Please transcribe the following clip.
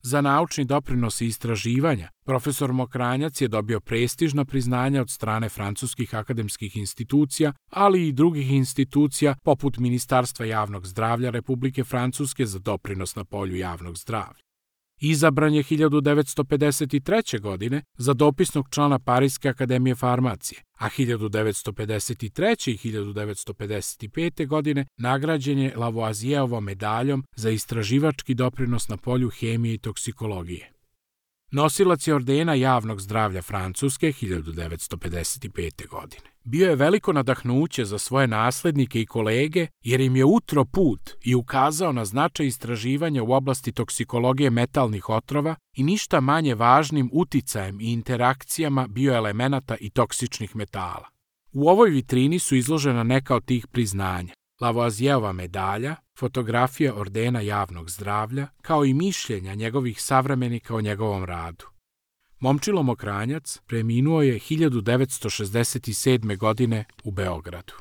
Za naučni doprinos i istraživanja, profesor Mokranjac je dobio prestižna priznanja od strane francuskih akademskih institucija, ali i drugih institucija poput Ministarstva javnog zdravlja Republike Francuske za doprinos na polju javnog zdravlja. Izabran je 1953. godine za dopisnog člana Pariske akademije farmacije, a 1953. i 1955. godine nagrađen je Lavoisijerovom medaljom za istraživački doprinos na polju hemije i toksikologije. Nosilac je ordena javnog zdravlja Francuske 1955. godine. Bio je veliko nadahnuće za svoje naslednike i kolege jer im je utro put i ukazao na značaj istraživanja u oblasti toksikologije metalnih otrova i ništa manje važnim uticajem i interakcijama bioelemenata i toksičnih metala. U ovoj vitrini su izložena neka od tih priznanja: Lavoisierova medalja, fotografija ordena javnog zdravlja, kao i mišljenja njegovih savremenika o njegovom radu. Momčilo Mokranjac preminuo je 1967. godine u Beogradu.